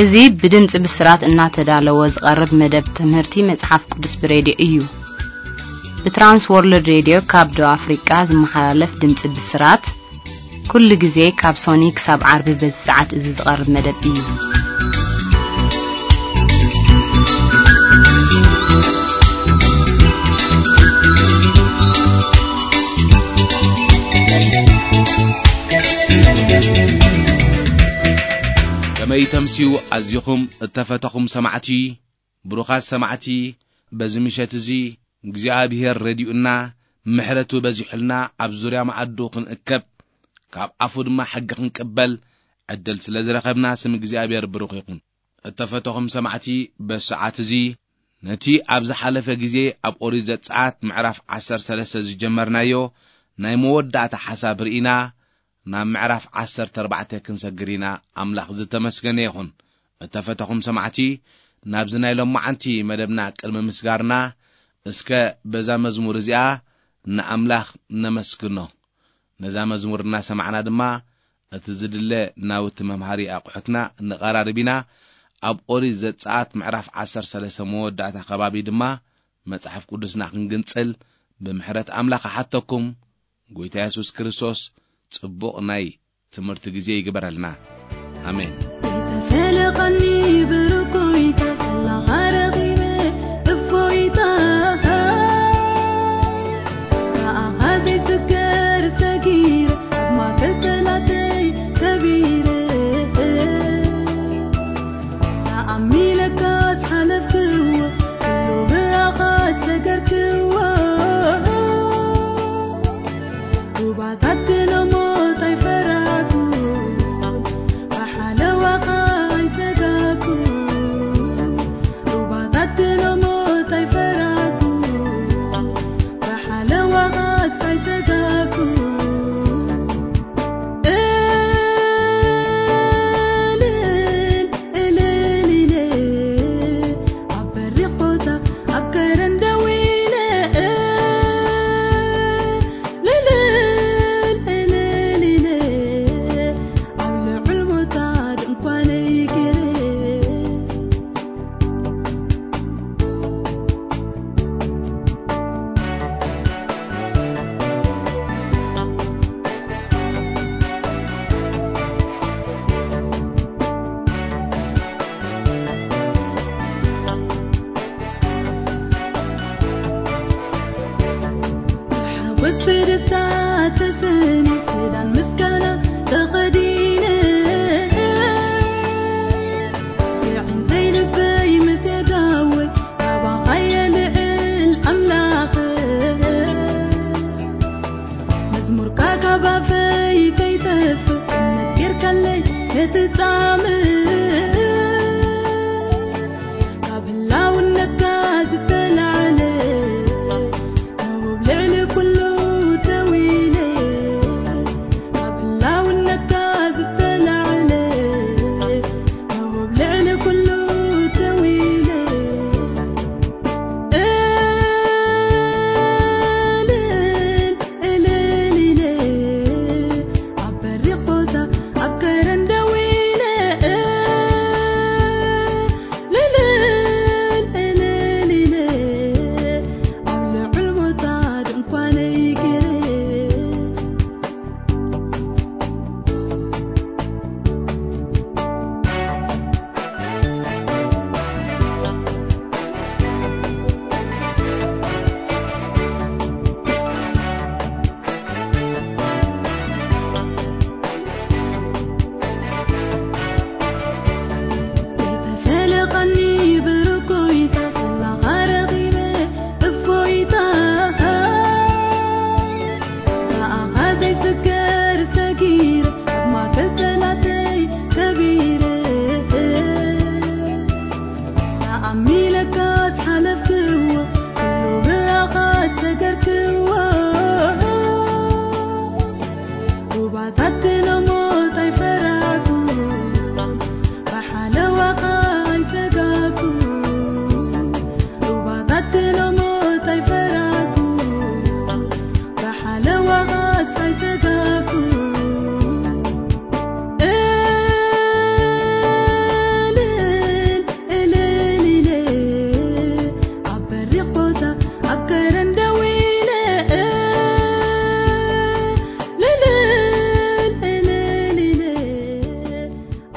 እዚ ብድምጺ ብስራት እናተዳለወ ዝቐርብ መደብ ትምህርቲ መጽሓፍ ቅዱስ ብሬድዮ እዩ። ብትራንስ ወርልድ ሬድዮ ካብ ደቡብ ኣፍሪቃ ዝመሓላለፍ ድምጺ ብስራት፣ ኩሉ ግዜ ካብ ሶኒ ክሳብ ዓርቢ በዚ ሰዓት እዚ ዝቐርብ መደብ እዩ። ከመይ ተምስዩ ኣዚኹም እተፈተኹም ሰማዕቲ፣ ብሩኻት ሰማዕቲ፣ በዚ ምሸት እዚ እግዚኣብሔር ረዲኡና፣ ምሕረቱ በዚሑልና፣ ኣብ ዙርያ መኣዱ ክንእከብ፣ ካብ ኣፉ ድማ ሕጊ ክንቅበል ዕድል ስለ ዝረኸብና፣ ስም እግዚኣብሔር ብሩኽ ይኹን። እተፈተኹም ሰማዕቲ፣ በዚ ሰዓት እዚ ነቲ ኣብ ዝሓለፈ ግዜ ኣብ ኦሪት ዘጸኣት ምዕራፍ ዓሰርተ ሰለስተ ዝጀመርናዮ ናይ መወዳእታ ሓሳብ ርኢና፣ ናብ ምዕራፍ ዓሰርተ ኣርባዕተ ክንሰግር ኢና። ኣምላኽ ዝተመስገነ ይኹን። እተፈተኹም ሰማዕቲ፣ ናብዚ ናይ ሎማዓንቲ መደብና ቅድሚ ምስጋርና፣ እስከ በዛ መዝሙር እዚኣ ንኣምላኽ ነመስግኖ። ነዛ መዝሙር እናሰማዕና ድማ፣ እቲ ዝድለ ናውቲ መምሃሪ ኣቑሑትና ንቐራርብ ኢና። ኣብ ኦሪት ዘጸኣት ምዕራፍ ዓሰርተ ሰለስተ መወዳእታ ከባቢ ድማ፣ መጽሓፍ ቅዱስና ክንግንጽል ብምሕረት ኣምላኽ እሓተኩም። ጎይታ የሱስ ክርስቶስ ጽቡቕ ናይ ትምህርቲ ግዜ ይግበረልና። ኣሜን። ተፈለቐኒ ብርኩይታ፣ ሰላኻ ረኺበ እፎይታ። ብኣኻ ዘይስገር ሰጊረ፣ ኣብ ማእከል ጠላተይ ሰቢረ። ተኣሚነካ ዝሓለፍክዎ፣ ኩሉ ብኣኻ ዝሰገርክዎ። ሩባታት ክነሞት ኣይፈራሕኩ፣ ብሓለዋኻ ኣይሰጋኩ። ሩባታት ክነሞት ኣይፈራሕኩ፣ ብሓለዋኻስ ኣይሰጋኩ። እልል እልል ኢለ ኣብ በሪኽ ቦታ ኣብ ከረን ደው ኢለ፣ እልል እልል ኢለ ኣብ ልዑል ቦታ ድንኳነይ ገይረ። ሓጎስ ብደስታ ተሰንየ፣ ክዳን ምስጋና ተኸዲነ፣ የዒንተይ ልበይ ምስ የጋወ፣ ናባኻ የልዕል ኣምላኽ። መዝሙርካ ካብ ኣፈይ ከይጠፍእ፣ እምነት ጌርካለይ ነቲ ጻምእ። ካብ ህላውነትካ ዝተላዕለ፣ ንውብ ልዕሊ ኩሉ ደው ኢለ። ካብ ህላውነትካ ዝተላዕለ፣ ንውብ ልዕሊ ኩሉ ደው ኢለ። እልል እልል ኢለ ኣብ በሪኽ ቦታ ኣብ ከረን ደው ኢለ። ሩባታት ሎሞት ኣይፈራኩ፣ ብሓለዋኻ ኣይሰጋኩ። ሩባታት ሎሞት ኣይፈራኩ፣ ብሓለዋኻስ ኣይሰጋኩ። እልል እልል ኢለ ኣብ በሪኽ ቦታ ኣብ ከረን ደው ኢለ፣ እልል እልል ኢለ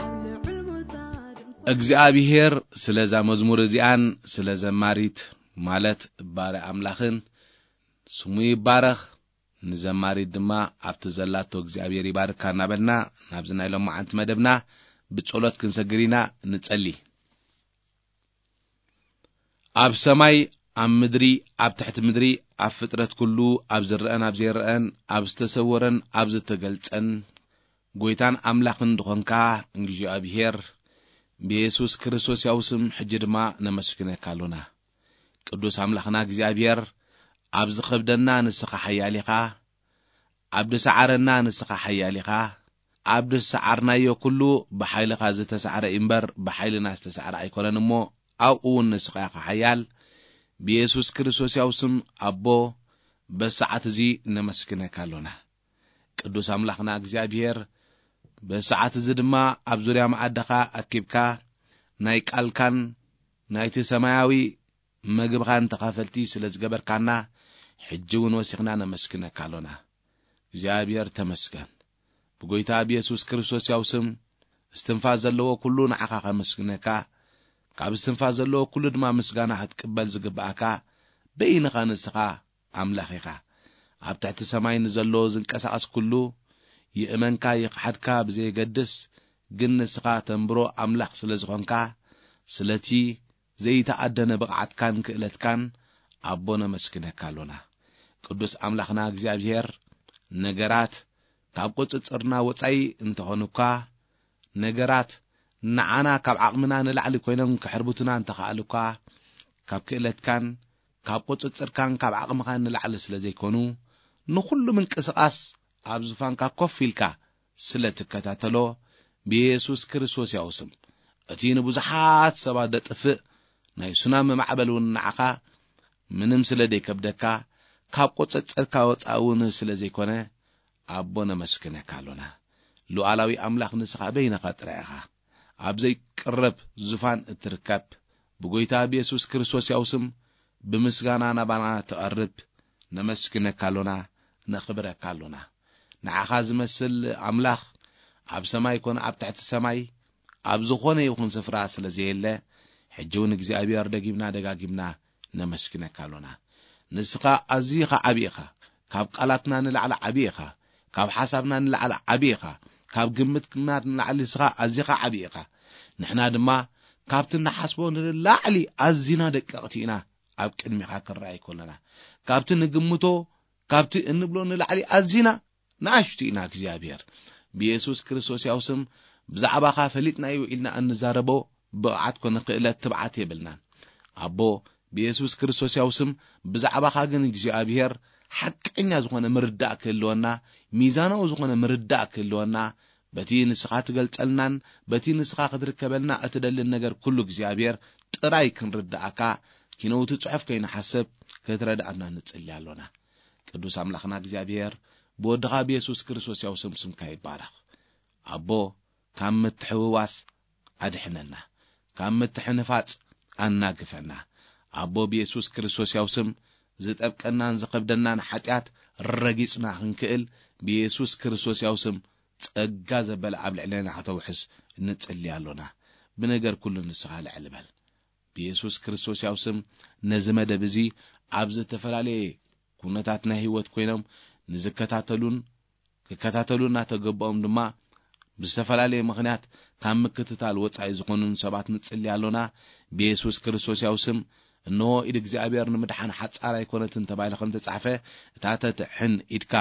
ኣብ ልዑል ቦታ ድንኳን እግዚኣብሔር ስለዛ መዝሙር እዚኣን ስለ ዘማሪት ማለት ባረ ኣምላኽን ስሙ ይባረኽ። ንዘማሪት ድማ ኣብቲ ዘላቶ እግዚኣብሔር ይባርካ እናበልና ናብዚ ናይ ሎማዓንቲ መደብና ብጸሎት ክንሰግር ኢና። ንጸሊ። ኣብ ሰማይ፣ ኣብ ምድሪ፣ ኣብ ትሕቲ ምድሪ፣ ኣብ ፍጥረት ኩሉ፣ ኣብ ዝረአን ኣብ ዘይረአን፣ ኣብ ዝተሰወረን ኣብ ዝተገልጸን፣ ጎይታን ኣምላኽን ዝኾንካ እግዚኣብሔር፣ ብየሱስ ክርስቶስ ያው ስም ሕጂ ድማ ነመስግነካ ኣሎና። ቅዱስ ኣምላኽና እግዚኣብሔር፣ ኣብ ዝኸብደና ንስኻ ሓያል ኢኻ፣ ኣብ ዝሰዓረና ንስኻ ሓያል ኢኻ። ኣብ ዝሰዓርናዮ ኩሉ ብሓይልኻ ዝተሳዕረ እዩ እምበር፣ ብሓይልና ዝተሳዕረ ኣይኮነን እሞ፣ ኣብኡ እውን ንስኻ ኢኻ ሓያል። ብየሱስ ክርስቶስ ያው ስም ኣቦ፣ በሰዓት እዚ ነመስግነካ ኣሎና። ቅዱስ ኣምላኽና እግዚኣብሔር፣ በሰዓት እዚ ድማ ኣብ ዙርያ መኣድኻ ኣኪብካ ናይ ቃልካን ናይቲ ሰማያዊ መግብኻን ተኻፈልቲ ስለ ዝገበርካና፣ ሕጂ እውን ወሲኽና ነመስግነካ ኣሎና። እግዚኣብሔር ተመስገን። ብጎይታ ብየሱስ ክርስቶስ ያው ስም፣ እስትንፋስ ዘለዎ ኩሉ ንዓኻ ከመስግነካ፣ ካብ እስትንፋስ ዘለዎ ኩሉ ድማ ምስጋና ክትቅበል ዝግብኣካ በይንኻ ንስኻ ኣምላኽ ኢኻ። ኣብ ትሕቲ ሰማይ ንዘሎ ዝንቀሳቐስ ኩሉ፣ ይእመንካ ይኽሓድካ ብዘየገድስ፣ ግን ንስኻ ተንብሮ ኣምላኽ ስለ ዝኾንካ፣ ስለቲ ዘይተኣደነ ብቕዓትካን ክእለትካን ኣቦ ነመስግነካ ኣሎና። ቅዱስ ኣምላኽና እግዚኣብሔር፣ ነገራት ካብ ቁጽጽርና ወጻኢ እንተኾኑኳ፣ ነገራት ንዓና ካብ ዓቕምና ንላዕሊ ኮይኖም ክሕርቡትና እንተኸኣሉኳ፣ ካብ ክእለትካን ካብ ቁጽጽርካን ካብ ዓቕምኻን ንላዕሊ ስለ ዘይኮኑ፣ ንኹሉ ምንቅስቓስ ኣብ ዙፋንካ ኮፍ ኢልካ ስለ ትከታተሎ፣ ብየሱስ ክርስቶስ ያው ስም፣ እቲ ንብዙሓት ሰባት ደጥፍእ ናይ ሱናሚ ማዕበል እውን ንዓኻ ምንም ስለ ዘይከብደካ፣ ካብ ቁጽጽርካ ወጻኢ እውን ስለ ዘይኮነ፣ ኣቦ ነመስግነካ ኣሎና። ሉዓላዊ ኣምላኽ ንስኻ በይንኻ ጥራይ ኢኻ። ኣብ ዘይቅረብ ዙፋን እትርከብ፣ ብጎይታ ብየሱስ ክርስቶስ ያው ስም ብምስጋና ናባና ትቐርብ። ነመስግነካ ኣሎና፣ ነኽብረካ ኣሎና። ንዓኻ ዝመስል ኣምላኽ ኣብ ሰማይ ኮነ ኣብ ትሕቲ ሰማይ ኣብ ዝኾነ ይኹን ስፍራ ስለ ዘየለ፣ ሕጂ እውን እግዚኣብሔር ደጊምና ደጋጊምና ነመስግነካ ኣሎና። ንስኻ ኣዚኻ ዓቢ ኢኻ። ካብ ቃላትና ንላዕሊ ዓቢ ኢኻ። ካብ ሓሳብና ንላዕሊ ዓቢ ኢኻ። ካብ ግምትና ንላዕሊ ንስኻ ኣዚኻ ዓቢ ኢኻ። ንሕና ድማ ካብቲ ንሓስቦ ንላዕሊ ኣዚና ደቀቕቲ ኢና ኣብ ቅድሚኻ ክንረኣይ ከለና። ካብቲ ንግምቶ፣ ካብቲ እንብሎ ንላዕሊ ኣዚና ንኣሽቱ ኢና እግዚኣብሔር። ብየሱስ ክርስቶስ ያው ስም ብዛዕባኻ ፈሊጥናዮ ኢልና እንዛረቦ ብቕዓት ኮነ ክእለት ትብዓት የብልናን። ኣቦ፣ ብየሱስ ክርስቶስ ያው ስም ብዛዕባኻ ግን እግዚኣብሔር ሓቀኛ ዝኾነ ምርዳእ ክህልወና፣ ሚዛናዊ ዝኾነ ምርዳእ ክህልወና፣ በቲ ንስኻ ትገልጸልናን በቲ ንስኻ ክትርከበልና እትደልን ነገር ኩሉ እግዚኣብሔር ጥራይ ክንርድኣካ፣ ኪነውቲ ጽሑፍ ከይንሓስብ ክትረድኣና ንጽሊ ኣሎና። ቅዱስ ኣምላኽና እግዚኣብሔር፣ ብወድኻ ብየሱስ ክርስቶስ ያው ስም ስምካ ይባረኽ። ኣቦ፣ ካብ ምትሕውዋስ ኣድሕነና፣ ካብ ምትሕንፋጽ ኣናግፈና። ኣቦ፣ ብየሱስ ክርስቶስ ያው ስም ዝጠብቀናን ዝኸብደናን ሓጢኣት ረጊጽና ክንክእል፣ ብየሱስ ክርስቶስ ያው ስም ጸጋ ዘበለ ኣብ ልዕሌና ከተውሕስ ንጽሊ ኣሎና። ብነገር ኩሉ ንስኻ ልዕል በል። ብየሱስ ክርስቶስ ያው ስም ነዚ መደብ እዚ ኣብ ዝተፈላለየ ኩነታት ናይ ህይወት ኮይኖም ንዝከታተሉን ክከታተሉ እናተገበኦም ድማ ብዝተፈላለየ ምኽንያት ካብ ምክትታል ወጻኢ ዝኾኑን ሰባት ንጽሊ ኣሎና። ብየሱስ ክርስቶስ ያው ስም፣ እንሆ ኢድ እግዚኣብሔር ንምድሓን ሓጻር ኣይኮነትን ተባሂሉ ከም ተጻሕፈ፣ እታ ተትሕን ኢድካ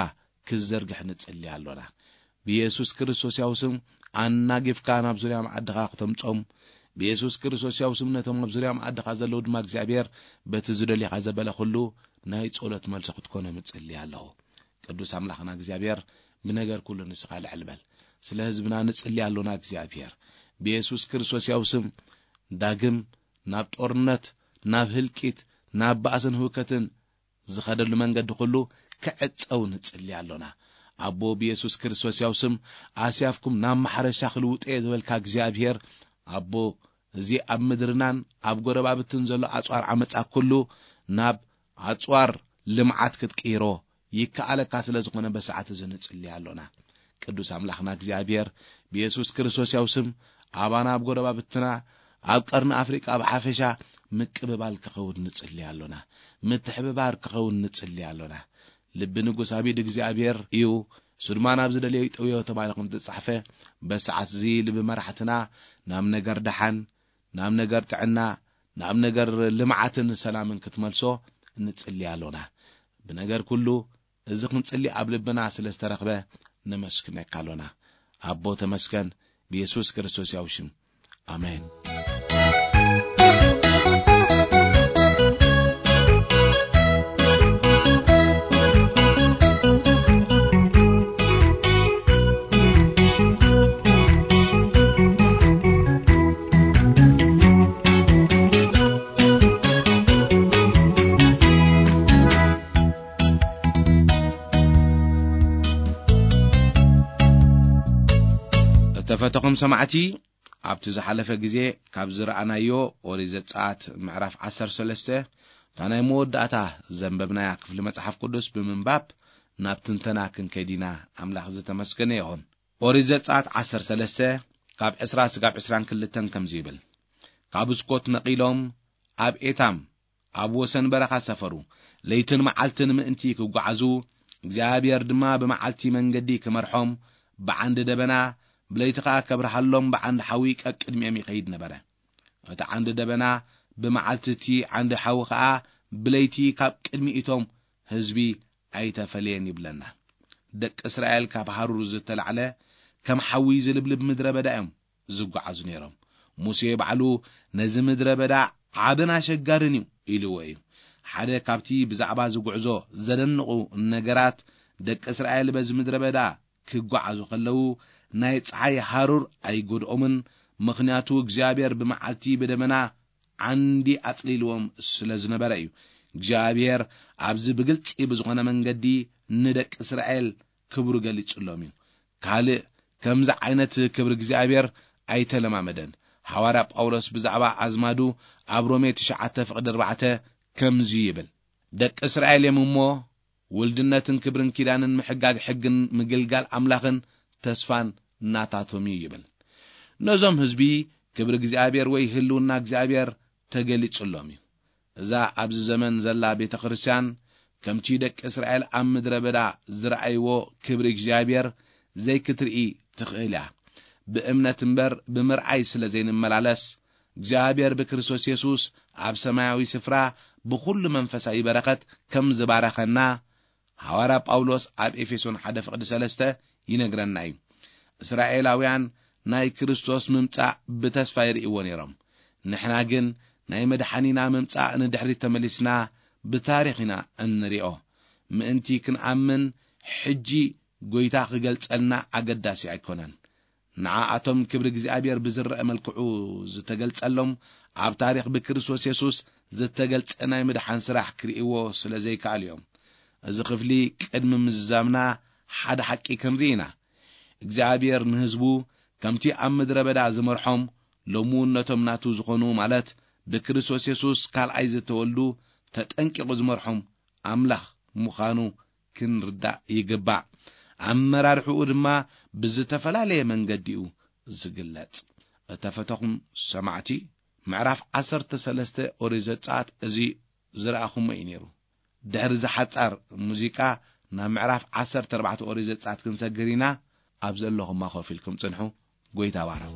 ክዘርግሕ ንጽሊ ኣሎና። ብየሱስ ክርስቶስ ያው ስም ኣናጊፍካ ናብ ዙርያ መዓድኻ ክተምጾም፣ ብየሱስ ክርስቶስ ያው ስም ነቶም ኣብ ዙርያ መዓድኻ ዘለዉ ድማ እግዚኣብሔር በቲ ዝደልየኻ ዘበለ ኩሉ ናይ ጸሎት መልሲ ክትኮኖም እጽሊ ኣለኹ። ቅዱስ ኣምላኽና እግዚኣብሔር ብነገር ኩሉ ንስኻ ልዕል በል። ስለ ህዝብና ንጽሊ ኣሎና እግዚኣብሔር። ብየሱስ ክርስቶስ ያው ስም ዳግም ናብ ጦርነት፣ ናብ ህልቂት፣ ናብ ባእስን ህውከትን ዝኸደሉ መንገዲ ኩሉ ክዕጸው ንጽሊ ኣሎና። ኣቦ ብየሱስ ክርስቶስ ያው ስም ኣስያፍኩም ናብ ማሕረሻ ክልውጦ እየ ዝበልካ እግዚኣብሔር፣ ኣቦ እዚ ኣብ ምድርናን ኣብ ጎረባብትን ዘሎ ኣጽዋር ዓመጻ ኩሉ ናብ ኣጽዋር ልምዓት ክትቅይሮ ይከኣለካ ስለ ዝኾነ በሰዓት እዚ ንጽሊ ኣሎና። ቅዱስ ኣምላኽና እግዚኣብሔር ብየሱስ ክርስቶስ ያው ስም ኣባና ኣብ ጎረባብትና ኣብ ቀርኒ ኣፍሪቃ ብሓፈሻ ምቅብባል ክኸውን ንጽሊ ኣሎና። ምትሕብባር ክኸውን ንጽሊ ኣሎና። ልቢ ንጉስ ኣቢድ እግዚኣብሔር እዩ፣ እሱ ድማ ናብ ዝደልዮ ይጠውዮ ተባሂሉ ከም ዝተጻሕፈ፣ በሰዓት እዚ ልቢ መራሕትና ናብ ነገር ደሓን፣ ናብ ነገር ጥዕና፣ ናብ ነገር ልምዓትን ሰላምን ክትመልሶ ንጽሊ ኣሎና። ብነገር ኩሉ እዚ ክንጽሊ ኣብ ልብና ስለ ዝተረኽበ ነመስግነካ ኣሎና። ኣቦ ተመስገን፣ ብየሱስ ክርስቶስ ያው ሽም። ኣሜን። እተፈተኹም ሰማዕቲ፣ ኣብቲ ዝሓለፈ ግዜ ካብ ዝረኣናዮ ኦሪት ዘጸኣት ምዕራፍ ዓሰርተ ሰለስተ፣ እታ ናይ መወዳእታ ዘንበብናያ ክፍሊ መጽሓፍ ቅዱስ ብምንባብ ናብ ትንተና ክንከይድ ኢና። ኣምላኽ ዝተመስገነ ይኹን። ኦሪት ዘጸኣት ዓሰርተ ሰለስተ ካብ ዕስራ ስጋብ ዕስራን ክልተን ከምዚ ይብል፣ ካብ ስኮት ነቒሎም ኣብ ኤታም ኣብ ወሰን በረኻ ሰፈሩ። ለይትን መዓልትን ምእንቲ ክጓዓዙ፣ እግዚኣብሔር ድማ ብመዓልቲ መንገዲ ክመርሖም፣ ብዓንዲ ደበና፣ ብለይቲ ኸኣ ከብርሃሎም ብዓንዲ ሓዊ ቀቅድሚኦም ይኸይድ ነበረ። እቲ ዓንዲ ደበና ብመዓልቲ፣ እቲ ዓንዲ ሓዊ ኸኣ ብለይቲ ካብ ቅድሚ እቶም ህዝቢ ኣይተፈልየን ይብለና። ደቂ እስራኤል ካብ ሃሩር ዝተላዕለ ከም ሓዊ ዝልብልብ ምድረ በዳ እዮም ዝጓዓዙ ነይሮም። ሙሴ ባዕሉ ነዚ ምድረ በዳ ዓብን ኣሸጋርን እዩ ኢልዎ እዩ። ሓደ ካብቲ ብዛዕባ ዝጉዕዞ ዘደንቑ ነገራት፣ ደቂ እስራኤል በዚ ምድረ በዳ ክጓዓዙ ከለዉ ናይ ጸሓይ ሃሩር ኣይጎድኦምን፣ ምኽንያቱ እግዚኣብሔር ብመዓልቲ ብደመና ዓንዲ ኣጽሊልዎም ስለ ዝነበረ እዩ። እግዚኣብሔር ኣብዚ ብግልጺ ብዝኾነ መንገዲ ንደቂ እስራኤል ክብሩ ገሊጹሎም እዩ። ካልእ ከምዚ ዓይነት ክብሪ እግዚኣብሔር ኣይተለማመደን። ሃዋርያ ጳውሎስ ብዛዕባ ኣዝማዱ ኣብ ሮሜ ትሽዓተ ፍቕዲ ኣርባዕተ ከምዚ ይብል፣ ደቂ እስራኤል እዮም እሞ፣ ውልድነትን ክብርን ኪዳንን ምሕጋግ ሕግን ምግልጋል ኣምላኽን ተስፋን ናታቶም እዩ ይብል። ነዞም ህዝቢ ክብሪ እግዚኣብሔር ወይ ህልውና እግዚኣብሔር ተገሊጹሎም እዩ። እዛ ኣብዚ ዘመን ዘላ ቤተ ክርስቲያን፣ ከምቲ ደቂ እስራኤል ኣብ ምድረ በዳ ዝረኣይዎ ክብሪ እግዚኣብሔር ዘይክትርኢ ትኽእል እያ። ብእምነት እምበር ብምርኣይ ስለ ዘይንመላለስ፣ እግዚኣብሔር ብክርስቶስ የሱስ ኣብ ሰማያዊ ስፍራ ብኹሉ መንፈሳዊ በረኸት ከም ዝባረኸና፣ ሃዋርያ ጳውሎስ ኣብ ኤፌሶን ሓደ ፍቕዲ ሰለስተ ይነግረና እዩ። እስራኤላውያን ናይ ክርስቶስ ምምጻእ ብተስፋ ይርእይዎ ነይሮም። ንሕና ግን ናይ መድሓኒና ምምጻእ ንድሕሪት ተመሊስና ብታሪኽ ኢና እንሪኦ። ምእንቲ ክንኣምን ሕጂ ጐይታ ክገልጸልና ኣገዳሲ ኣይኮነን። ንዓኣቶም ክብሪ እግዚኣብሔር ብዝረአ መልክዑ ዝተገልጸሎም፣ ኣብ ታሪኽ ብክርስቶስ የሱስ ዝተገልጸ ናይ ምድሓን ስራሕ ክርእይዎ ስለ ዘይከኣሉ እዮም። እዚ ክፍሊ ቅድሚ ምዝዛምና ሓደ ሓቂ ክንርኢ ኢና። እግዚኣብሔር ንህዝቡ ከምቲ ኣብ ምድረ በዳ ዝመርሖም፣ ሎሚ እውን ነቶም ናቱ ዝኾኑ፣ ማለት ብክርስቶስ የሱስ ካልኣይ ዝተወልዱ ተጠንቂቑ ዝመርሖም ኣምላኽ ምዃኑ ክንርዳእ ይግባእ። ኣመራርሕኡ ድማ ብዝተፈላለየ መንገዲ እዩ ዝግለጽ። እተፈተኹም ሰማዕቲ፣ ምዕራፍ ዓሰርተ ሰለስተ ኦሪት ዘጸኣት እዚ ዝረኣኹሞ እዩ ነይሩ። ድሕሪ እዚ ሓጻር ሙዚቃ ናብ ምዕራፍ ዓሰርተ ኣርባዕተ ኦሪት ዘጸኣት ክንሰግር ኢና። ኣብ ዘለኹማ ኮፍ ኢልኩም ጽንሑ። ጎይታ ባረኹ።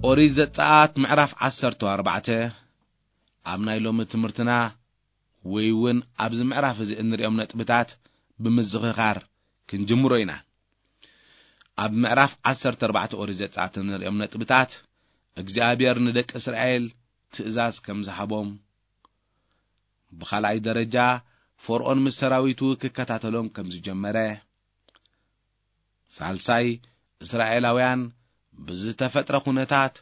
ኦሪት ዘጸኣት ምዕራፍ ዓሰርተ ኣርባዕተ። ኣብ ናይ ሎሚ ትምህርትና ወይ እውን ኣብዚ ምዕራፍ እዚ እንሪኦም ነጥብታት ብምዝኽኻር ክንጅምሮ ኢና። ኣብ ምዕራፍ ዓሰርተ ኣርባዕተ ኦሪት ዘጸኣት እንሪኦም ነጥብታት እግዚኣብሔር ንደቂ እስራኤል ትእዛዝ ከም ዝሃቦም፣ ብኻልኣይ ደረጃ ፈርኦን ምስ ሰራዊቱ ክከታተሎም ከም ዝጀመረ፣ ሳልሳይ እስራኤላውያን ብዝተፈጥረ ኩነታት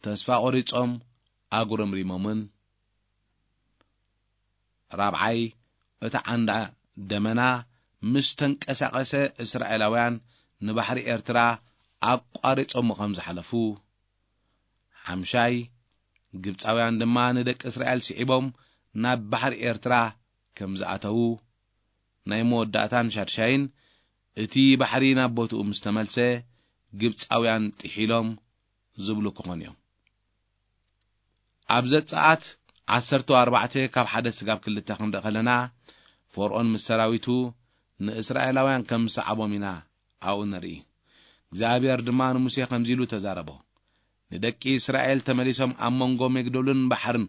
ተስፋ ቆሪጾም ኣጉረምሪሞምን፣ ራብዓይ እቲ ዓንዳ ደመና ምስ ተንቀሳቐሰ እስራኤላውያን ንባሕሪ ኤርትራ ኣቋሪጾም ከም ዝሓለፉ፣ ሓምሻይ ግብጻውያን ድማ ንደቂ እስራኤል ስዒቦም ናብ ባሕሪ ኤርትራ ከም ዝኣተዉ፣ ናይ መወዳእታን ሻድሻይን እቲ ባሕሪ ናብ ቦትኡ ምስ ተመልሰ ግብጻውያን ጥሒሎም ዝብሉ ክኾኑ እዮም። ኣብ ዘጸኣት ዓሰርተ ኣርባዕተ ካብ ሓደ ስጋብ ክልተ ክንርኢ ከለና፣ ፈርኦን ምስ ሰራዊቱ ንእስራኤላውያን ከም ዝሰዓቦም ኢና ኣብኡ ንርኢ። እግዚኣብሔር ድማ ንሙሴ ከምዚ ኢሉ ተዛረቦ፣ ንደቂ እስራኤል ተመሊሶም ኣብ መንጎ መግዶልን ባሕርን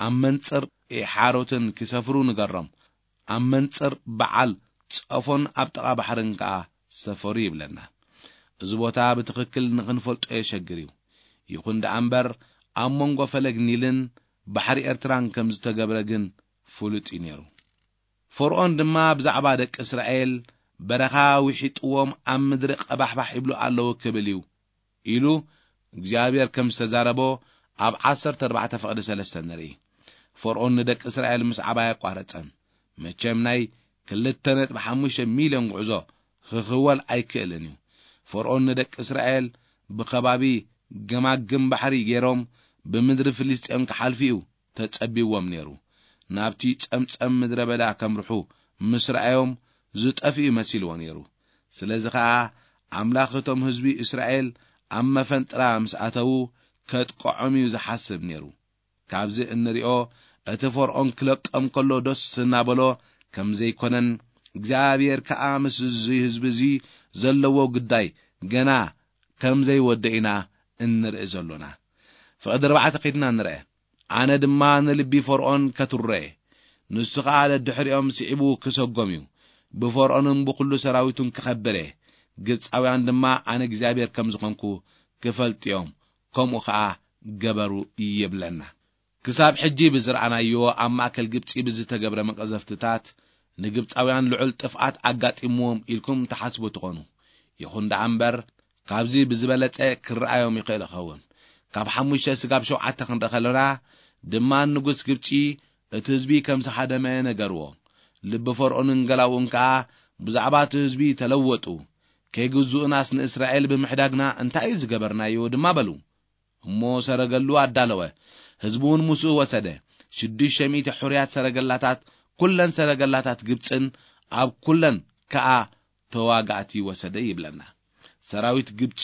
ኣብ መንጽር ኤሓሮትን ክሰፍሩ ንገሮም፣ ኣብ መንጽር በዓል ጸፎን ኣብ ጥቓ ባሕርን ከኣ ሰፈሩ ይብለና። እዚ ቦታ ብትኽክል ንኽንፈልጦ የሸግር እዩ። ይኹን ደኣ እምበር ኣብ መንጎ ፈለግ ኒልን ባሕሪ ኤርትራን ከም ዝተገብረ ግን ፍሉጥ እዩ ነይሩ። ፈርኦን ድማ ብዛዕባ ደቂ እስራኤል በረኻ ውሒጥዎም ኣብ ምድሪ ቀባሕባሕ ይብሉ ኣለዉ ክብል እዩ ኢሉ እግዚኣብሔር ከም ዝተዛረቦ ኣብ ዓሰርተ ኣርባዕተ ፍቕዲ ሰለስተ ንርኢ። ፈርኦን ንደቂ እስራኤል ምስዓብ ኣየቋረጸን። መቸም ናይ ክልተ ነጥቢ ሓሙሽተ ሚልዮን ጉዕዞ ክኽወል ኣይክእልን እዩ። ፈርኦን ንደቂ እስራኤል ብኸባቢ ገማግም ባሕሪ ገይሮም ብምድሪ ፍልስጤም ክሓልፉ እዩ ተጸቢዎም ነይሩ። ናብቲ ጸምጸም ምድረ በዳ ከምርሑ ምስ ረኣዮም ዝጠፍኡ መሲልዎ ነይሩ። ስለዚ ኸኣ ኣምላኽ እቶም ህዝቢ እስራኤል ኣብ መፈንጥራ ምስ ኣተዉ ከጥቅዖም እዩ ዝሓስብ ነይሩ። ካብዚ እንሪኦ እቲ ፈርኦን ክለቆም ከሎ ደስ እናበሎ ከም ዘይኮነን እግዚኣብሔር ከኣ ምስ እዚ ህዝቢ እዚ ዘለዎ ግዳይ ገና ከም ዘይወደ ኢና እንርኢ ዘሎና። ፍቕዲ ኣርባዕተ ከይድና ንርአ። ኣነ ድማ ንልቢ ፈርኦን ከትርሮ እየ። ንሱ ኸኣ ደድሕሪኦም ስዒቡ ክሰጎም እዩ። ብፈርኦንን ብኹሉ ሰራዊቱን ክኸብር እየ። ግብጻውያን ድማ ኣነ እግዚኣብሔር ከም ዝኾንኩ ክፈልጡ እዮም። ከምኡ ኸኣ ገበሩ ይብለና። ክሳብ ሕጂ ብዝረኣናዮ ኣብ ማእከል ግብጺ ብዝተገብረ መቐዘፍትታት ንግብጻውያን ልዑል ጥፍኣት ኣጋጢምዎም ኢልኩም ትሓስቡ ትኾኑ። ይኹን ደኣ እምበር ካብዚ ብዝበለጸ ክረኣዮም ይኽእል ይኸውን። ካብ ሓሙሽተ ስጋብ ሸውዓተ ክንርኢ ከለና ድማ ንጉስ ግብጺ እቲ ህዝቢ ከም ዝሃደመ ነገርዎ። ልቢ ፈርኦንን ገላውኡን ከኣ ብዛዕባ እቲ ህዝቢ ተለወጡ። ከይግዝኡናስ ንእስራኤል ብምሕዳግና እንታይ እዩ ዝገበርናዮ ድማ በሉ። እሞ ሰረገሉ ኣዳለወ፣ ህዝቢ እውን ምስኡ ወሰደ። ሽዱሽተ ሚእቲ ሕሩያት ሰረገላታት፣ ኩለን ሰረገላታት ግብጽን ኣብ ኩለን ከኣ ተዋጋእቲ ወሰደ ይብለና። ሰራዊት ግብጺ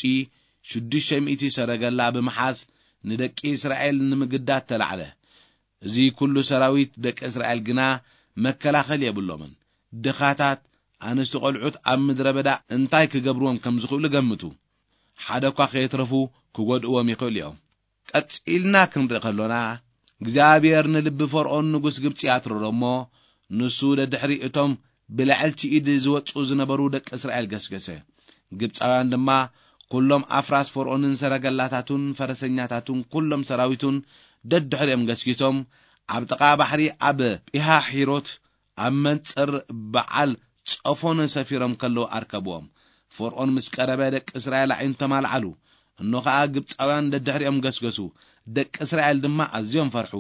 ሽዱሽተ ሚእቲ ሰረገላ ብምሓዝ ንደቂ እስራኤል ንምግዳት ተላዕለ። እዚ ኩሉ ሰራዊት ደቂ እስራኤል ግና መከላኸል የብሎምን። ድኻታት፣ ኣንስቲ ቆልዑት ኣብ ምድረ በዳ እንታይ ክገብርዎም ከም ዝኽእሉ ገምቱ። ሓደ እኳ ከየትረፉ ክጎድእዎም ይኽእሉ እዮም። ቀጺልና ክንርኢ ከሎና፣ እግዚኣብሔር ንልቢ ፈርኦን ንጉስ ግብጺ ኣትረሮ እሞ፣ ንሱ ደድሕሪ እቶም ብልዕልቲ ኢድ ዝወጹ ዝነበሩ ደቂ እስራኤል ገስገሰ። ግብጻውያን ድማ ኩሎም ኣፍራስ ፈርኦንን ሰረገላታቱን ፈረሰኛታቱን ኩሎም ሰራዊቱን ደድሕሪኦም ገስጊሶም፣ ኣብ ጥቓ ባሕሪ ኣብ ጲሃሒሮት ኣብ መንጽር በዓል ጸፎን ሰፊሮም ከለዉ ኣርከብዎም። ፈርኦን ምስ ቀረበ ደቂ እስራኤል ኣዒንቶም ኣልዓሉ። እንሆ ኸኣ ግብጻውያን ደድሕሪኦም ገስገሱ። ደቂ እስራኤል ድማ ኣዝዮም ፈርሑ፣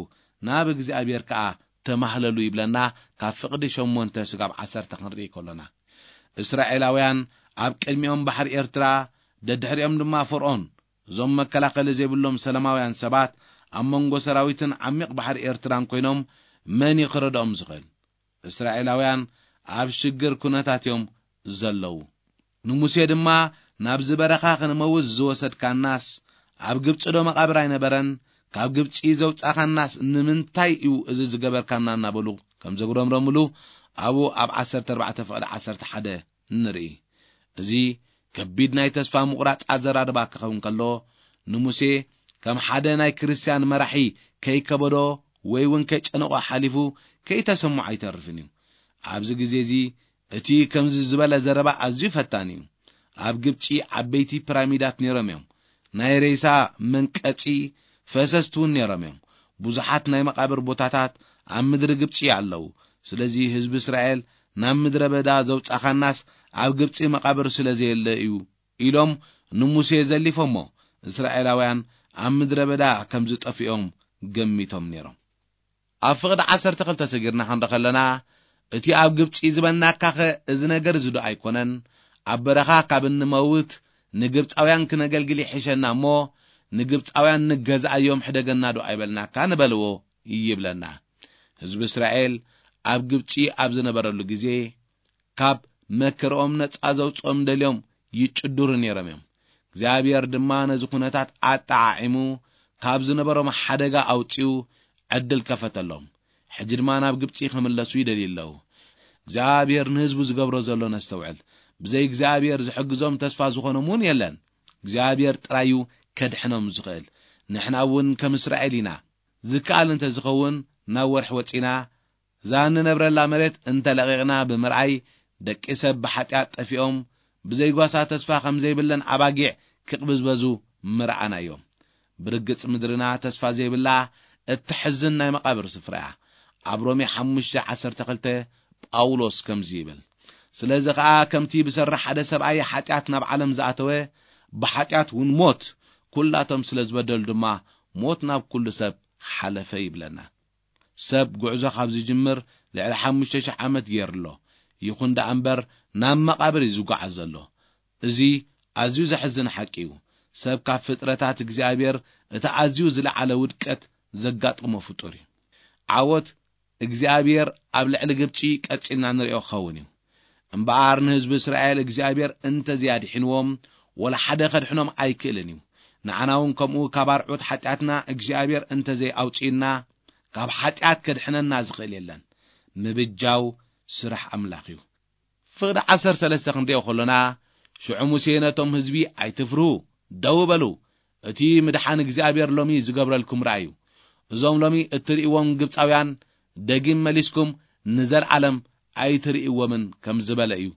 ናብ እግዚኣብሔር ከኣ ተማህለሉ ይብለና። ካብ ፍቕዲ ሸሞንተ ስጋብ ዓሰርተ ክንርኢ ከሎና፣ እስራኤላውያን ኣብ ቅድሚኦም ባሕሪ ኤርትራ፣ ደድሕሪኦም ድማ ፈርኦን። እዞም መከላኸሊ ዘይብሎም ሰላማውያን ሰባት ኣብ መንጎ ሰራዊትን ዓሚቕ ባሕሪ ኤርትራን ኮይኖም መን እዩ ክረድኦም ዝኽእል? እስራኤላውያን ኣብ ሽግር ኩነታት እዮም ዘለዉ። ንሙሴ ድማ፣ ናብዚ በረኻ ክንመውት ዝወሰድካናስ ኣብ ግብጺ ዶ መቓብር ኣይነበረን? ካብ ግብጺ ዘውጻኻናስ ንምንታይ እዩ እዚ ዝገበርካና? እናበሉ ከም ዘጉረምረምሉ ኣብኡ ኣብ ዓሰርተ ኣርባዕተ ፍቕዲ ዓሰርተ ሓደ ንርኢ። እዚ ከቢድ ናይ ተስፋ ምቑራጽ ኣዘራርባ ክኸውን ከሎ፣ ንሙሴ ከም ሓደ ናይ ክርስትያን መራሒ ከይከበዶ ወይ እውን ከይጨነቖ ሓሊፉ ከይተሰምዖ ኣይተርፍን እዩ። ኣብዚ ግዜ እዚ እቲ ከምዚ ዝበለ ዘረባ ኣዝዩ ፈታኒ እዩ። ኣብ ግብጺ ዓበይቲ ፒራሚዳት ነይሮም እዮም። ናይ ሬሳ መንቀጺ ፈሰስቲ እውን ነይሮም እዮም። ብዙሓት ናይ መቓብር ቦታታት ኣብ ምድሪ ግብጺ ኣለዉ። ስለዚ ህዝቢ እስራኤል ናብ ምድረ በዳ ዘውጻኻናስ ኣብ ግብጺ መቓብር ስለ ዘየለ እዩ ኢሎም ንሙሴ ዘሊፎሞ። እስራኤላውያን ኣብ ምድረ በዳ ከም ዝጠፍኦም ገሚቶም ነይሮም። ኣብ ፍቕዲ ዓሰርተ ክልተ ሰጊርና ክንርኢ ከለና፣ እቲ ኣብ ግብጺ ዝበልናካኸ እዚ ነገር እዚ ዶ ኣይኮነን? ኣብ በረኻ ካብ እንመውት ንግብጻውያን ክነገልግል ይሕሸና እሞ፣ ንግብጻውያን ንገዝኣዮም ሕደገና ዶ ኣይበልናካ ንበልዎ ይብለና። ህዝቢ እስራኤል ኣብ ግብጺ ኣብ ዝነበረሉ ግዜ፣ ካብ መከርኦም ነጻ ዘውጽኦም ደልዮም ይጭድሩ ነይሮም እዮም። እግዚኣብሔር ድማ ነዚ ኩነታት ኣጠዓዒሙ ካብ ዝነበሮም ሓደጋ ኣውጺኡ ዕድል ከፈተሎም። ሕጂ ድማ ናብ ግብጺ ክምለሱ ይደልዩ ኣለዉ። እግዚኣብሔር ንህዝቡ ዝገብሮ ዘሎ ነስተውዕል። ብዘይ እግዚኣብሔር ዝሕግዞም ተስፋ ዝኾኖም እውን የለን። እግዚኣብሔር ጥራይ እዩ ከድሕኖም ዝኽእል። ንሕና እውን ከም እስራኤል ኢና። ዝከኣል እንተ ዝኸውን ናብ ወርሒ ወጺና እዛ እንነብረላ መሬት እንተ ለቒቕና ብምርኣይ፣ ደቂ ሰብ ብሓጢኣት ጠፊኦም፣ ብዘይጓሳ ተስፋ ከም ዘይብለን ኣባጊዕ ክቕብዝበዙ ምረኣናዮም። ብርግጽ ምድርና ተስፋ ዘይብላ እተሕዝን ናይ መቓብር ስፍራ እያ። ኣብ ሮሜ ሓሙሽተ ዓሰርተ ክልተ ጳውሎስ ከምዚ ይብል፣ ስለዚ ኸኣ ከምቲ ብሰራሕ ሓደ ሰብኣይ ሓጢኣት ናብ ዓለም ዝኣተወ፣ ብሓጢኣት እውን ሞት፣ ኩላቶም ስለ ዝበደሉ ድማ ሞት ናብ ኩሉ ሰብ ሓለፈ ይብለና። ሰብ ጉዕዞ ካብ ዝጅምር ልዕሊ ሓሙሽተ ሽሕ ዓመት ገይሩ ኣሎ። ይኹን ደኣ እምበር ናብ መቓብር እዩ ዝጓዓዝ ዘሎ። እዚ ኣዝዩ ዘሕዝን ሓቂ እዩ። ሰብ ካብ ፍጥረታት እግዚኣብሔር እቲ ኣዝዩ ዝለዓለ ውድቀት ዘጋጠሞ ፍጡር እዩ። ዓወት እግዚኣብሔር ኣብ ልዕሊ ግብጺ ቀጺልና ንሪኦ ክኸውን እዩ። እምበኣር ንህዝቢ እስራኤል እግዚኣብሔር እንተዘይኣድሒንዎም፣ ወላ ሓደ ከድሕኖም ኣይክእልን እዩ። ንዓና እውን ከምኡ ካብ ኣርዑት ሓጢኣትና እግዚኣብሔር እንተዘይኣውጺእና፣ ካብ ሓጢኣት ከድሕነና ዝኽእል የለን። ምብጃው ስራሕ ኣምላኽ እዩ። ፍቕዲ ዓሰርተ ሰለስተ ክንሪኦ ከሎና፣ ሽዑ ሙሴ ነቶም ህዝቢ፣ ኣይትፍርሁ፣ ደው በሉ፣ እቲ ምድሓን እግዚኣብሔር ሎሚ ዝገብረልኩም ረኣዩ። እዞም ሎሚ እትርእይዎም ግብጻውያን ደጊም መሊስኩም ንዘለዓለም ኣይትርእይዎምን ከም ዝበለ እዩ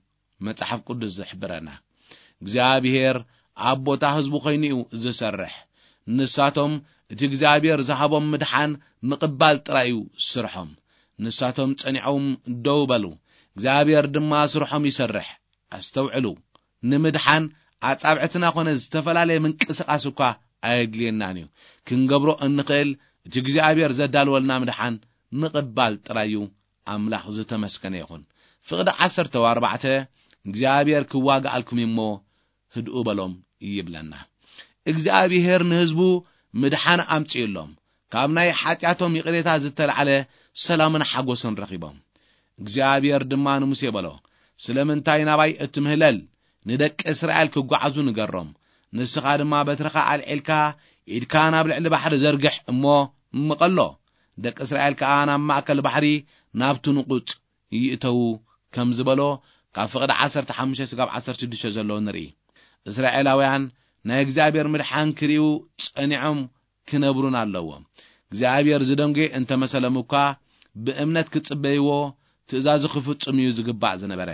መጽሓፍ ቅዱስ ዝሕብረና። እግዚኣብሔር ኣብ ቦታ ህዝቡ ኾይኑ እዩ ዝሰርሕ። ንሳቶም እቲ እግዚኣብሔር ዝሃቦም ምድሓን ምቕባል ጥራይ እዩ ስርሖም። ንሳቶም ጸኒዖም ደው በሉ፣ እግዚኣብሔር ድማ ስርሖም ይሰርሕ። ኣስተውዕሉ፣ ንምድሓን ኣጻብዕትና ኾነ ዝተፈላለየ ምንቅስቓስ እኳ ኣየድልየናን እዩ። ክንገብሮ እንኽእል እቲ እግዚኣብሔር ዘዳልወልና ምድሓን ምቕባል ጥራይ እዩ። ኣምላኽ ዝተመስገነ ይኹን። ፍቕዲ ዓሰርተ ኣርባዕተ እግዚኣብሔር ክዋግኣልኩም እዩ እሞ ህድኡ በሎም ይብለና። እግዚኣብሔር ንህዝቡ ምድሓን ኣምጺኡሎም፣ ካብ ናይ ሓጢኣቶም ይቕሬታ ዝተላዕለ ሰላምን ሓጎስን ረኺቦም። እግዚኣብሔር ድማ ንሙሴ በሎ፣ ስለምንታይ ናባይ እትምህለል? ንደቂ እስራኤል ክጓዓዙ ንገሮም። ንስኻ ድማ በትርኻ ኣልዒልካ ኢድካ ናብ ልዕሊ ባሕሪ ዘርግሕ እሞ ምቐሎ። ደቂ እስራኤል ከኣ ናብ ማእከል ባሕሪ ናብቲ ንቑጽ ይእተዉ ከም ዝበሎ ካብ ፍቕዲ ዓሰርተ ሓሙሽተ ስጋብ ዓሰርተ ሽዱሽተ ዘለዉ ንርኢ። እስራኤላውያን ናይ እግዚኣብሔር ምድሓን ክርእዩ ጸኒዖም ክነብሩን ኣለዎም። እግዚኣብሔር ዝደንጎየ እንተመሰሎም እኳ ብእምነት ክጽበይዎ ትእዛዙ ክፍጽም እዩ ዝግባእ ዝነበረ።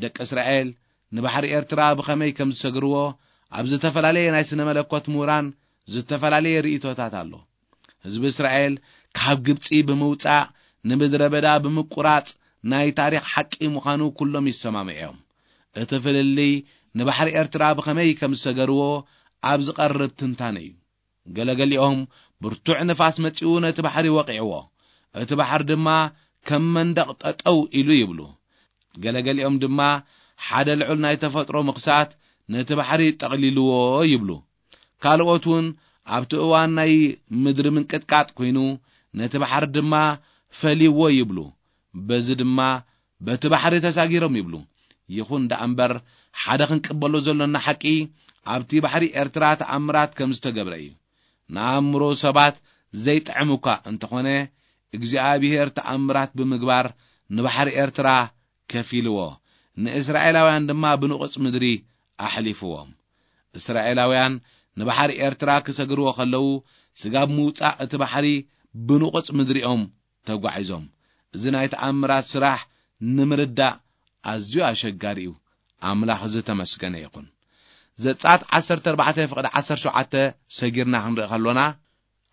ደቂ እስራኤል ንባሕሪ ኤርትራ ብኸመይ ከም ዝሰግርዎ ኣብ ዝተፈላለየ ናይ ስነ መለኮት ምሁራን ዝተፈላለየ ርእይቶታት ኣሎ። ህዝቢ እስራኤል ካብ ግብጺ ብምውጻእ ንምድረ በዳ ብምቁራጽ ናይ ታሪኽ ሓቂ ምዃኑ ኩሎም ይሰማምዑ እዮም። እቲ ፍልልይ ንባሕሪ ኤርትራ ብኸመይ ከም ዝሰገርዎ ኣብ ዝቐርብ ትንታነ እዩ። ገለገሊኦም ብርቱዕ ንፋስ መጺኡ ነቲ ባሕሪ ወቒዕዎ። እቲ ባሕሪ ድማ ከም መንደቕ ጠጠው ኢሉ ይብሉ። ገለገሊኦም ድማ ሓደ ልዑል ናይ ተፈጥሮ ምኽሳት ነቲ ባሕሪ ጠቕሊልዎ ይብሉ። ካልኦት እውን ኣብቲ እዋን ናይ ምድሪ ምንቅጥቃጥ ኮይኑ ነቲ ባሕሪ ድማ ፈልይዎ ይብሉ። በዚ ድማ በቲ ባሕሪ ተሳጊሮም ይብሉ። ይኹን ደኣ እምበር ሓደ ክንቅበሎ ዘሎና ሓቂ ኣብቲ ባሕሪ ኤርትራ ተኣምራት ከም ዝተገብረ እዩ። ንኣእምሮ ሰባት ዘይጥዕም እኳ እንተኾነ እግዚኣብሔር ተኣምራት ብምግባር ንባሕሪ ኤርትራ ከፊልዎ፣ ንእስራኤላውያን ድማ ብንቑጽ ምድሪ ኣሕሊፍዎም። እስራኤላውያን ንባሕሪ ኤርትራ ክሰግርዎ ከለዉ፣ ስጋብ ምውጻእ እቲ ባሕሪ ብንቑጽ ምድሪኦም ተጓዒዞም። እዚ ናይ ተኣምራት ስራሕ ንምርዳእ ኣዝዩ ኣሸጋሪ እዩ። ኣምላኽ ዝተመስገነ ይኹን። ዘጸኣት ዓሰርተ ኣርባዕተ ፍቕዲ ዓሰርተ ሸውዓተ ሰጊርና ክንርኢ ከሎና፣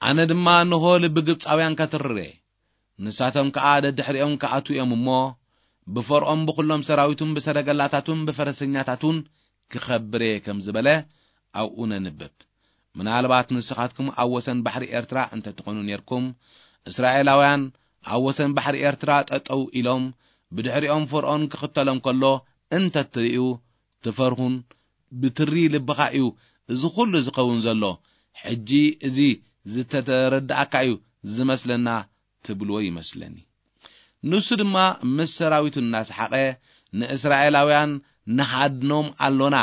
ኣነ ድማ እንሆ ልቢ ግብጻውያን ከትርር እየ፣ ንሳቶም ከኣ ደድሕሪኦም ክኣትዉ እዮም እሞ፣ ብፈርኦን ብኹሎም ሰራዊቱን ብሰረገላታቱን ብፈረሰኛታቱን ክኸብር እየ ከም ዝበለ ኣብኡ ነንብብ። ምናልባት ንስኻትኩም ኣብ ወሰን ባሕሪ ኤርትራ እንተትኾኑ ኔርኩም፣ እስራኤላውያን ኣብ ወሰን ባሕሪ ኤርትራ ጠጠው ኢሎም፣ ብድሕሪኦም ፈርኦን ክኽተሎም ከሎ እንተትርእዩ፣ ትፈርሁን ብትሪ ልብኻ እዩ እዚ ኹሉ ዝኸውን ዘሎ። ሕጂ እዚ ዝተረዳእካ እዩ ዝመስለና ትብልዎ ይመስለኒ። ንሱ ድማ ምስ ሰራዊቱ እናሰሓቐ፣ ንእስራኤላውያን ንሃድኖም ኣሎና፣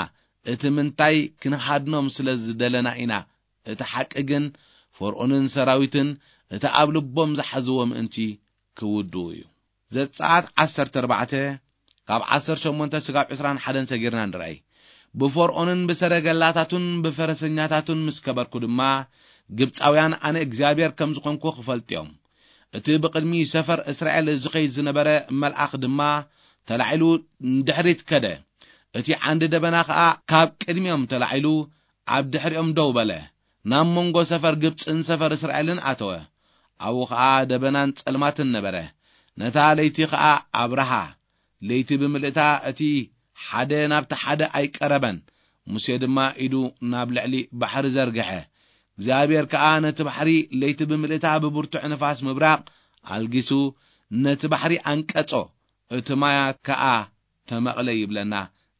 እቲ ምንታይ ክንሃድኖም ስለ ዝደለና ኢና፣ እቲ ሓቂ ግን ፈርኦንን ሰራዊትን እቲ ኣብ ልቦም ዝሓዝዎ ምእንቲ ክውድኡ እዩ። ዘጸኣት ዓሰርተ ኣርባዕተ ካብ ዓሰርተ ሸሞንተ ስጋብ ዕስራን ሓደን ሰጊርና ንርኣይ። ብፈርኦንን ብሰረገላታቱን ብፈረሰኛታቱን ምስ ከበርኩ ድማ፣ ግብጻውያን ኣነ እግዚኣብሔር ከም ዝኾንኩ ክፈልጡ እዮም። እቲ ብቕድሚ ሰፈር እስራኤል ዝኸይድ ዝነበረ መልኣኽ ድማ ተላዒሉ ንድሕሪት ከደ። እቲ ዓንዲ ደበና ኸኣ ካብ ቅድሚኦም ተላዒሉ ኣብ ድሕሪኦም ደው በለ። ናብ መንጎ ሰፈር ግብጽን ሰፈር እስራኤልን ኣተወ። ኣብኡ ኸኣ ደበናን ጸልማትን ነበረ። ነታ ለይቲ ኸኣ ኣብርሃ። ለይቲ ብምልእታ እቲ ሓደ ናብቲ ሓደ ኣይቀረበን። ሙሴ ድማ ኢዱ ናብ ልዕሊ ባሕሪ ዘርግሐ። እግዚኣብሔር ከኣ ነቲ ባሕሪ ለይቲ ብምልእታ ብብርቱዕ ንፋስ ምብራቕ ኣልጊሱ ነቲ ባሕሪ ኣንቀጾ። እቲ ማያት ከኣ ተመቕለ ይብለና።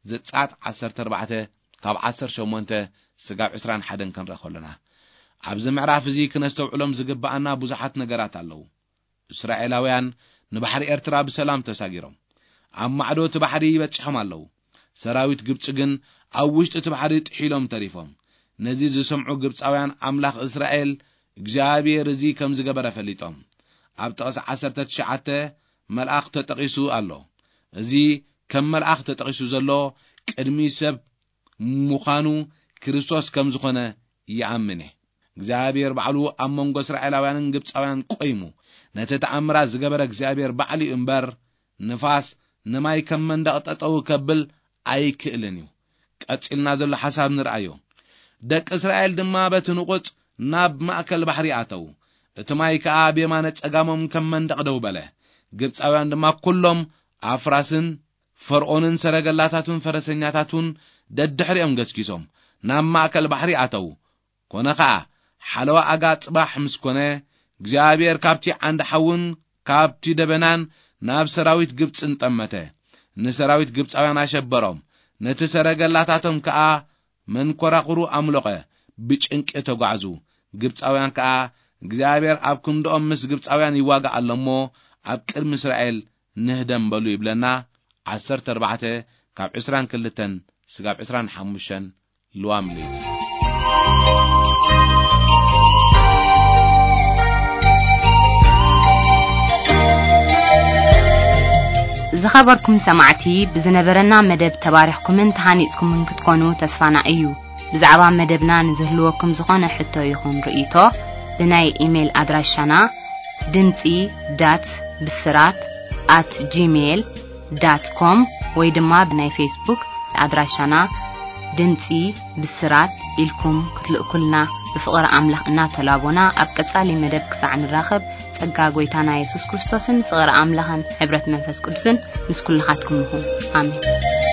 ዘጸኣት ዓሰርተ ኣርባዕተ ካብ ዓሰርተ ሸሞንተ ስጋብ ዕስራን ሓደን ክንርኢ ከሎና፣ ኣብዚ ምዕራፍ እዚ ክነስተውዕሎም ዝግብኣና ብዙሓት ነገራት ኣለዉ። እስራኤላውያን ንባሕሪ ኤርትራ ብሰላም ተሳጊሮም ኣብ ማዕዶ እቲ ባሕሪ ይበጽሖም ኣለዉ። ሰራዊት ግብጺ ግን ኣብ ውሽጢ እቲ ባሕሪ ጥሒሎም ተሪፎም። ነዚ ዝሰምዑ ግብጻውያን ኣምላኽ እስራኤል እግዚኣብሔር እዚ ከም ዝገበረ ፈሊጦም። ኣብ ጥቕሲ ዓሰርተ ትሽዓተ መልኣኽ ተጠቒሱ ኣሎ። እዚ ከም መልኣኽ ተጠቒሱ ዘሎ ቅድሚ ሰብ ምዃኑ ክርስቶስ ከም ዝኾነ ይኣምን እየ። እግዚኣብሔር ባዕሉ ኣብ መንጎ እስራኤላውያንን ግብጻውያን ቆይሙ ነቲ ተኣምራት ዝገበረ እግዚኣብሔር ባዕሉ እዩ እምበር፣ ንፋስ ንማይ ከም መንደቕ ጠጠው ከብል ኣይክእልን እዩ። ቀጺልና ዘሎ ሓሳብ ንርኣዮ። ደቂ እስራኤል ድማ በቲ ንቑጽ ናብ ማእከል ባሕሪ ኣተዉ። እቲ ማይ ከኣ ብየማነ ጸጋሞም ከም መንደቕ ደው በለ። ግብጻውያን ድማ ኩሎም ኣፍራስን ፈርኦንን ሰረገላታቱን ፈረሰኛታቱን ደድሕሪኦም ገስጊሶም ናብ ማእከል ባሕሪ ኣተዉ። ኮነ ኸኣ፣ ሓለዋ ኣጋ ጽባሕ ምስ ኮነ፣ እግዚኣብሔር ካብቲ ዓንዲ ሓውን ካብቲ ደበናን ናብ ሰራዊት ግብጽን ጠመተ። ንሰራዊት ግብጻውያን ኣሸበሮም፣ ነቲ ሰረገላታቶም ከኣ መንኮራኹሩ ኣምሎቐ። ብጭንቂ ተጓዕዙ። ግብጻውያን ከኣ፣ እግዚኣብሔር ኣብ ክንድኦም ምስ ግብጻውያን ይዋጋእ ኣሎ እሞ፣ ኣብ ቅድሚ እስራኤል ንህደም በሉ ይብለና። ዓሰርተ ኣርባዕተ ካብ ዕስራን ክልተን ስጋብ ዕስራን ሓሙሽተን ልዋም ለይቲ። ዝኸበርኩም ሰማዕቲ፣ ብዝነበረና መደብ ተባሪኽኩምን ተሃኒጽኩምን ክትኮኑ ተስፋና እዩ። ብዛዕባ መደብና ንዝህልወኩም ዝኾነ ሕቶ ይኹን ርእይቶ፣ ብናይ ኢሜይል ኣድራሻና ድምጺ ዳት ብስራት ኣት ጂሜይል ዳት ኮም ወይ ድማ ብናይ ፌስቡክ ኣድራሻና ድምጺ ብስራት ኢልኩም ክትልእኩልና ብፍቕሪ ኣምላኽ እናተላቦና፣ ኣብ ቀጻሊ መደብ ክሳዕ ንራኸብ፣ ጸጋ ጐይታና የሱስ ክርስቶስን ፍቕሪ ኣምላኽን ሕብረት መንፈስ ቅዱስን ምስ ኩልኻትኩም ይኹን። ኣሜን።